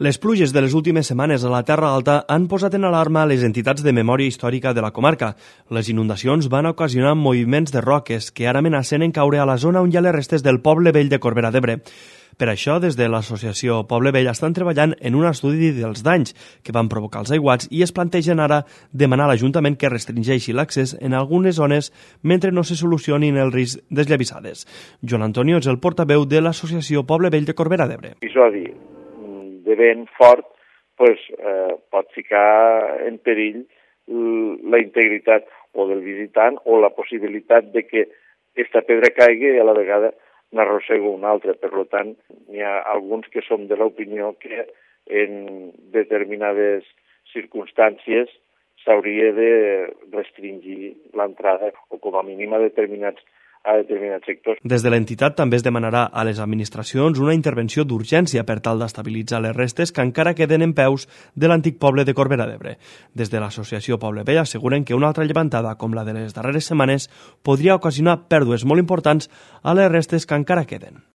Les pluges de les últimes setmanes a la Terra Alta han posat en alarma les entitats de memòria històrica de la comarca. Les inundacions van ocasionar moviments de roques que ara amenacen en caure a la zona on hi ha les restes del Poble Vell de Corbera d'Ebre. Per això, des de l'associació Poble Vell estan treballant en un estudi dels danys que van provocar els aiguats i es plantegen ara demanar a l'Ajuntament que restringeixi l'accés en algunes zones mentre no se solucionin el risc d'esllavissades. Joan Antonio és el portaveu de l'associació Poble Vell de Corbera d'Ebre. Episodi de vent fort pot ficar en perill la integritat o del visitant o la possibilitat de que aquesta pedra caigui i a la vegada n'arrossega una altra. Per tant, hi ha alguns que som de l'opinió que en determinades circumstàncies s'hauria de restringir l'entrada o com a mínim a determinats sectors. Des de l'entitat també es demanarà a les administracions una intervenció d'urgència per tal d'estabilitzar les restes que encara queden en peus de l'antic poble de Corbera d'Ebre. Des de l'associació Poble Vell asseguren que una altra llevantada com la de les darreres setmanes podria ocasionar pèrdues molt importants a les restes que encara queden.